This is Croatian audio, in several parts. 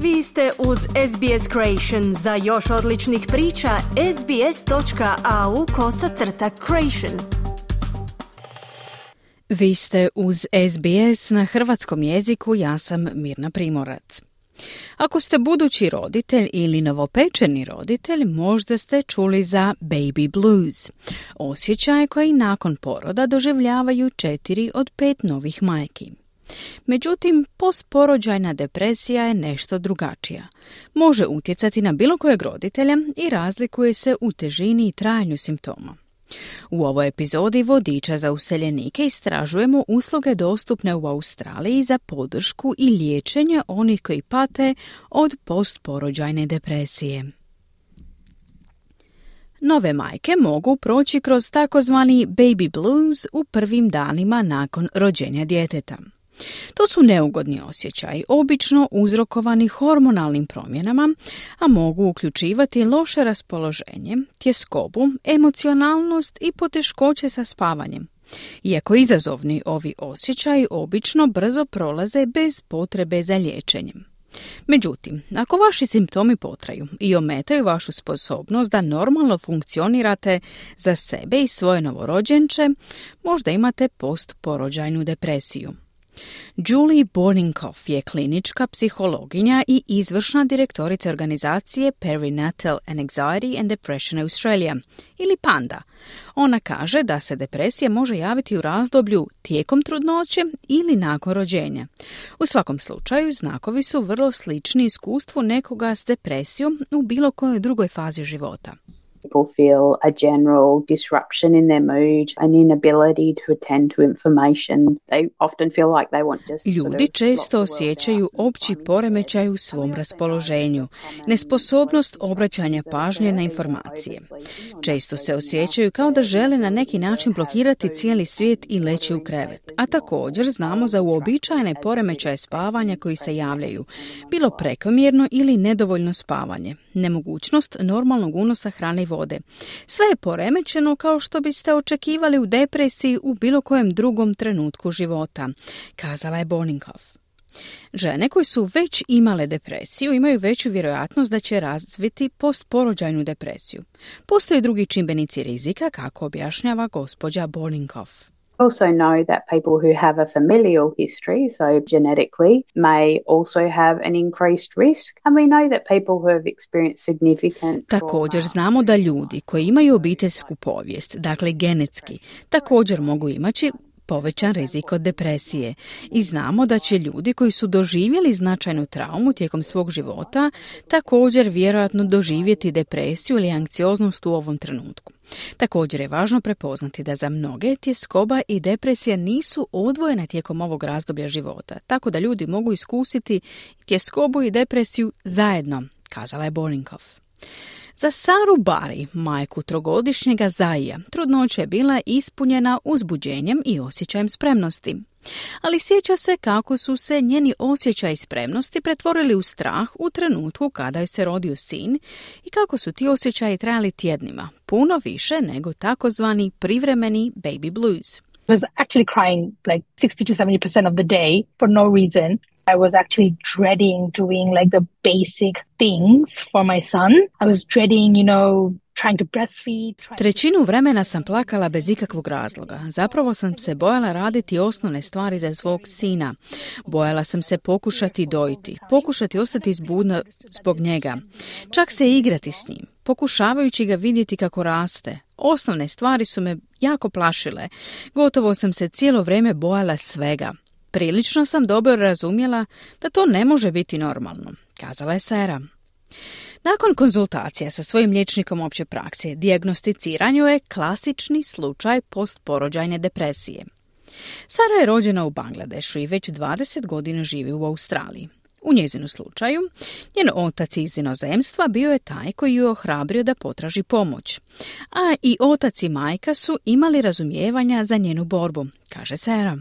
Vi ste uz SBS Creation. Za još odličnih priča, sbs.au/creation. Vi ste uz SBS na hrvatskom jeziku, ja sam Mirna Primorac. Ako ste budući roditelj ili novopečeni roditelj, možda ste čuli za baby blues, osjećaje koji nakon poroda doživljavaju 4 od 5 novih majki. Međutim, postporođajna depresija je nešto drugačija. Može utjecati na bilo kojeg roditelja i razlikuje se u težini i trajanju simptoma. U ovoj epizodi Vodiča za useljenike istražujemo usluge dostupne u Australiji za podršku i liječenje onih koji pate od postporođajne depresije. Nove majke mogu proći kroz takozvani baby blues u prvim danima nakon rođenja djeteta. To su neugodni osjećaji, obično uzrokovani hormonalnim promjenama, a mogu uključivati loše raspoloženje, tjeskobu, emocionalnost i poteškoće sa spavanjem. Iako izazovni, ovi osjećaji obično brzo prolaze bez potrebe za liječenjem. Međutim, ako vaši simptomi potraju i ometaju vašu sposobnost da normalno funkcionirate za sebe i svoje novorođenče, možda imate postporođajnu depresiju. Julie Borninghoff je klinička psihologinja i izvršna direktorica organizacije Perinatal Anxiety and Depression Australia, ili PANDA. Ona kaže da se depresija može javiti u razdoblju tijekom trudnoće ili nakon rođenja. U svakom slučaju, znakovi su vrlo slični iskustvu nekoga s depresijom u bilo kojoj drugoj fazi života. People feel a general disruption in their mood, an inability to attend to information. They often feel like they want just Ljudi često osjećaju opći poremećaj u svom raspoloženju, nesposobnost obraćanja pažnje na informacije. Često se osjećaju kao da žele na neki način blokirati cijeli svijet i leći u krevet. A također znamo za uobičajene poremećaje spavanja koji se javljaju, bilo prekomjerno ili nedovoljno spavanje, nemogućnost normalnog unosa hrane i vode. Sve je poremećeno kao što biste očekivali u depresiji u bilo kojem drugom trenutku života, kazala je Borninghoff. Žene koje su već imale depresiju imaju veću vjerojatnost da će razviti postporođajnu depresiju. Postoje drugi čimbenici rizika, kako objašnjava gospođa Borninghoff. Also know that people who have a familial history, so genetically, may also have an increased risk. And we know that people who have experienced significant Također znamo da ljudi koji imaju obiteljsku povijest, dakle genetski, također mogu imati povećan rizik od depresije. I znamo da će ljudi koji su doživjeli značajnu traumu tijekom svog života također vjerojatno doživjeti depresiju ili anksioznost u ovom trenutku. Također je važno prepoznati da za mnoge tjeskoba i depresija nisu odvojene tijekom ovog razdoblja života, tako da ljudi mogu iskusiti tjeskobu i depresiju zajedno, kazala je Borninghoff. Za Saru Bari, majku 3-godišnjega Zaija, trudnoća je bila ispunjena uzbuđenjem i osjećajem spremnosti. Ali sjeća se kako su se njeni osjećaji spremnosti pretvorili u strah u trenutku kada joj se rodio sin i kako su ti osjećaji trajali tjednima, puno više nego takozvani privremeni baby blues. I was actually crying like 60 to 70% of the day for no reason. I was actually dreading doing like the basic things for my son. I was dreading, trying to breastfeed. Trećinu vremena sam plakala bez ikakvog razloga. Zapravo sam se bojala raditi osnovne stvari za svog sina. Bojala sam se pokušati dojiti, pokušati ostati budna zbog njega, čak se igrati s njim, pokušavajući ga vidjeti kako raste. Osnovne stvari su me jako plašile. Gotovo sam se cijelo vrijeme bojala svega. Prilično sam dobro razumjela da to ne može biti normalno, kazala je Sara. Nakon konzultacija sa svojim liječnikom opće prakse, dijagnosticiran joj je klasični slučaj postporođajne depresije. Sara je rođena u Bangladešu i već 20 godina živi u Australiji. U njezinu slučaju, njen otac iz inozemstva bio je taj koji ju je ohrabrio da potraži pomoć. A i otac i majka su imali razumijevanja za njenu borbu, kaže Sara.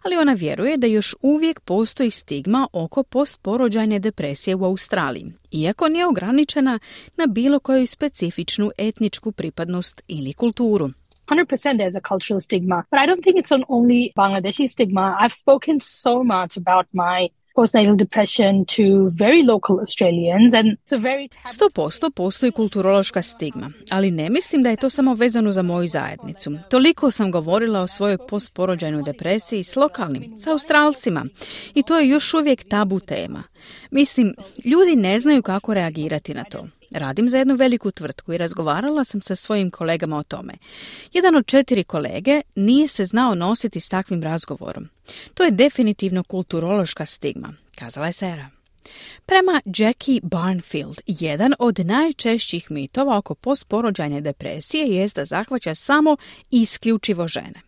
Ali ona vjeruje da još uvijek postoji stigma oko postporođajne depresije u Australiji, iako nije ograničena na bilo koju specifičnu etničku pripadnost ili kulturu. 100% there's a cultural stigma, but I don't think it's an only Bangladeshi stigma. I've spoken so much about my postnatal depression to very local Australians, and it's a very 100% postoji kulturološka stigma, ali ne mislim da je to samo vezano za moju zajednicu. Toliko sam govorila o svojoj postporođajnoj depresiji s lokalnim, s Australcima, i to je još uvijek tabu tema. Mislim, ljudi ne znaju kako reagirati na to. Radim za jednu veliku tvrtku i razgovarala sam sa svojim kolegama o tome. Jedan od 4 kolege nije se znao nositi s takvim razgovorom. To je definitivno kulturološka stigma, kazala je Sarah. Prema Jackie Barnfield, jedan od najčešćih mitova oko postporođajne depresije jest da zahvaća samo i isključivo žene.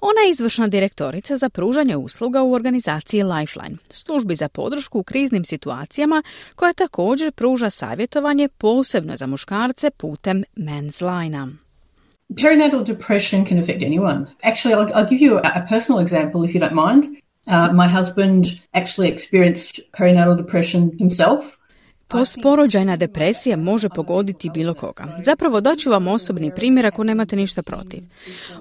Ona je izvršna direktorica za pružanje usluga u organizaciji Lifeline, službi za podršku u kriznim situacijama, koja također pruža savjetovanje posebno za muškarce putem Men's Line-a. Perinatal depression can affect anyone. Actually, I'll give you a personal example if you don't mind. My husband actually experienced perinatal depression himself. Postporođajna depresija može pogoditi bilo koga. Zapravo daću vam osobni primjer ako nemate ništa protiv.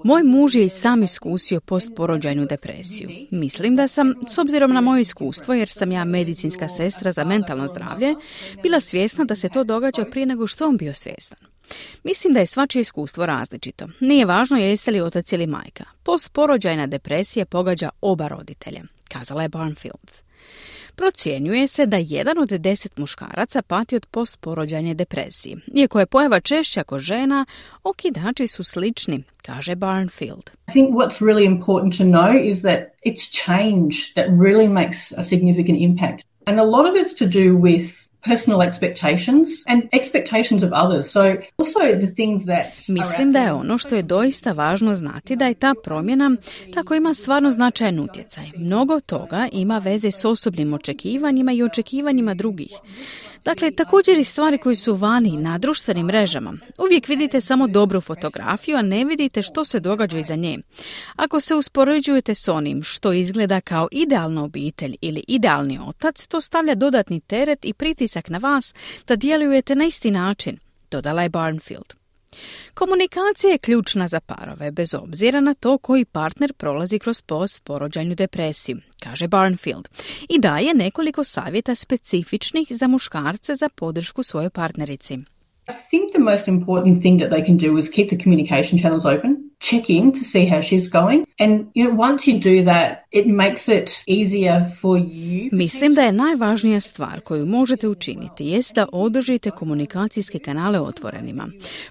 Moj muž je i sam iskusio postporođajnu depresiju. Mislim da sam, s obzirom na moje iskustvo, jer sam ja medicinska sestra za mentalno zdravlje, bila svjesna da se to događa prije nego što on bio svjestan. Mislim da je svačije iskustvo različito. Nije važno jeste li otac ili majka. Postporođajna depresija pogađa oba roditelja, kazala je Barnfield. Procjenjuje se da 1 od 10 muškaraca pati od postporođajne depresije. Iako je pojava češća kod žena, okidači su slični, kaže Barnfield. I think what's really important to know is that it's change that really makes a significant impact. And a lot of it's to do with personal expectations and expectations of others. So also the things that Mislim da je ono što je doista važno znati da je ta promjena tako ima stvarno značajan utjecaj. Mnogo toga ima veze s osobnim očekivanjima i očekivanjima drugih. Dakle, također i stvari koje su vani na društvenim mrežama. Uvijek vidite samo dobru fotografiju, a ne vidite što se događa iza nje. Ako se uspoređujete s onim što izgleda kao idealna obitelj ili idealni otac, to stavlja dodatni teret i pritisak na vas da djelujete na isti način, dodala je Barnfield. Komunikacija je ključna za parove, bez obzira na to koji partner prolazi kroz postporođajnu depresiju, kaže Barnfield, i daje nekoliko savjeta specifičnih za muškarce za podršku svojoj partnerici. I think the most important thing that they can do is keep the communication channels open, check in to see how she's going, and once you do that, it makes it easier for you. Mislim da je najvažnija stvar koju možete učiniti jest da održite komunikacijske kanale otvorenima.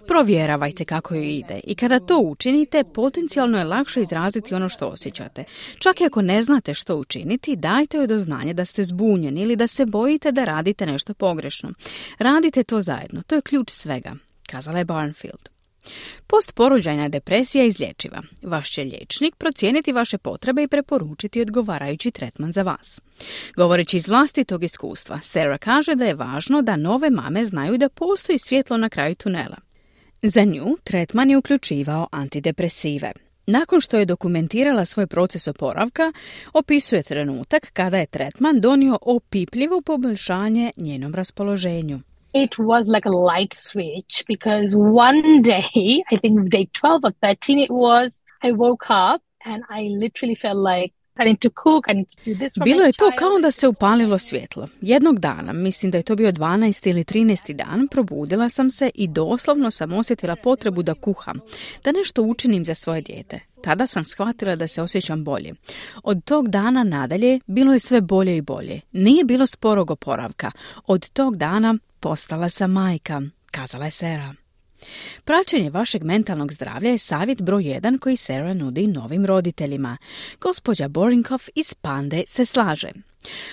Provjeravajte kako joj ide i kada to učinite, potencijalno je lakše izraziti ono što osjećate. Čak i ako ne znate što učiniti, dajte joj do znanja da ste zbunjeni ili da se bojite da radite nešto pogrešno. Radite to zajedno, to je ključ svega, kazala je Barnfield. Postporođajna depresija je izlječiva. Vaš će liječnik procijeniti vaše potrebe i preporučiti odgovarajući tretman za vas. Govoreći iz vlastitog iskustva, Sarah kaže da je važno da nove mame znaju da postoji svjetlo na kraju tunela. Za nju tretman je uključivao antidepresive. Nakon što je dokumentirala svoj proces oporavka, opisuje trenutak kada je tretman donio opipljivo poboljšanje njenom raspoloženju. It was like a light switch because one day, I think day 12 or 13 it was, I woke up and I literally felt like I need to cook, I need to do this for Bilo my je to child. kao da se upalilo svjetlo. Jednog dana, mislim da je to bio 12. ili 13. dan, probudila sam se i doslovno sam osjetila potrebu da kuham, da nešto učinim za svoje dijete. Tada sam shvatila da se osjećam bolje. Od tog dana nadalje bilo je sve bolje i bolje. Nije bilo sporog oporavka. Od tog dana postala sam majka, kazala je Sarah. Praćenje vašeg mentalnog zdravlja je savjet broj 1 koji Sarah nudi novim roditeljima. Gospođa Borinkoff iz Pande se slaže.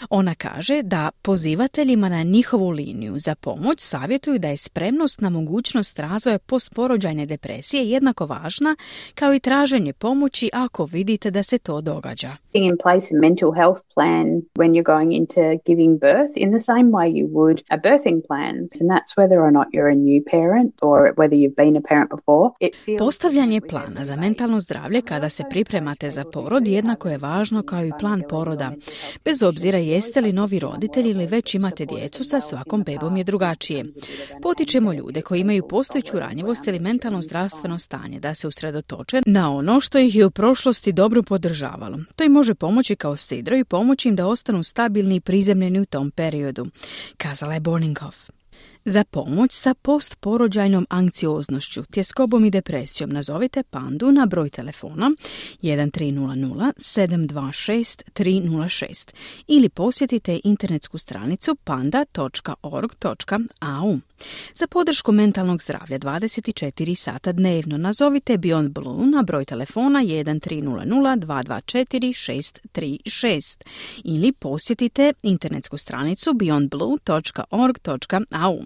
Ona kaže da pozivateljima na njihovu liniju za pomoć savjetuju da je spremnost na mogućnost razvoja postporođajne depresije jednako važna kao i traženje pomoći ako vidite da se to događa. In place a mental health plan when you're going into giving birth in the same way you would a birthing plan. And that's whether or not you're a new parent or whether you've been a parent before. Postavljanje plana za mentalno zdravlje kada se pripremate za porod jednako je važno kao i plan poroda, bez obzira obzira jeste li novi roditelj ili već imate djecu, sa svakom bebom je drugačije. Potičemo ljude koji imaju postojeću ranjivost ili mentalno zdravstveno stanje da se usredotoče na ono što ih je u prošlosti dobro podržavalo. To im može pomoći kao sidro i pomoći im da ostanu stabilni i prizemljeni u tom periodu, kazala je Borninghoff. Za pomoć sa postporođajnom anksioznošću, tjeskobom i depresijom nazovite Pandu na broj telefona 1300 726 306 ili posjetite internetsku stranicu panda.org.au. Za podršku mentalnog zdravlja 24 sata dnevno nazovite Beyond Blue na broj telefona 1300 224 636 ili posjetite internetsku stranicu beyondblue.org.au.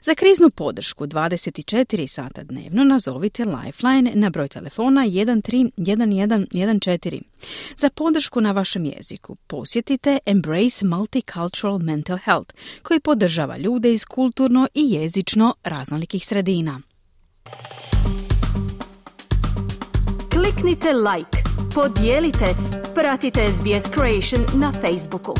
Za kriznu podršku 24 sata dnevno nazovite Lifeline na broj telefona 131114. Za podršku na vašem jeziku posjetite Embrace Multicultural Mental Health, koji podržava ljude iz kulturno i jezično raznolikih sredina. Kliknite like, podijelite, pratite SBS Creation na Facebooku.